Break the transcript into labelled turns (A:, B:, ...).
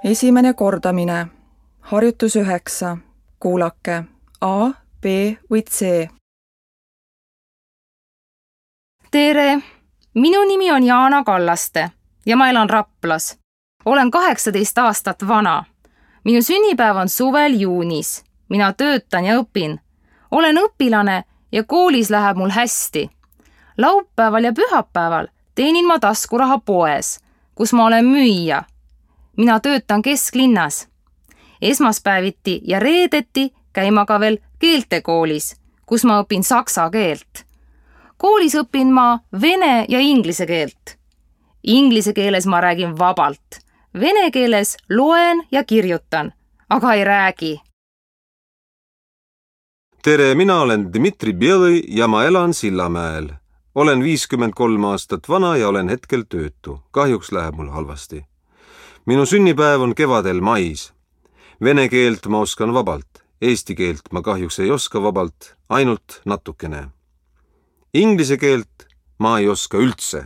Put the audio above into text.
A: Esimene kordamine. Harjutus 9. Kuulake A, B või C.
B: Tere! Minu nimi on Jaana Kallaste ja ma elan Raplas. Olen 18 aastat vana. Minu sünnipäev on suvel juunis. Mina töötan ja õpin. Olen õpilane ja koolis läheb mul hästi. Laupäeval ja pühapäeval teenin ma taskuraha poes, kus ma olen müüja. Mina töötan kesklinnas. Esmaspäeviti ja reedeti käin ma ka veel keeltekoolis, kus ma õpin saksa keelt. Koolis õpin ma vene ja inglise keelt. Inglise keeles ma räägin vabalt. Vene keeles loen ja kirjutan, aga ei räägi.
C: Tere, mina olen Dmitri Belõi ja ma elan Sillamäel. Olen 53 aastat vana ja olen hetkel töötu. Kahjuks läheb mul halvasti. Minu sünnipäev on kevadel mais. Vene keelt ma oskan vabalt. Eesti keelt ma kahjuks ei oska vabalt, ainult natukene. Inglise keelt ma ei oska üldse.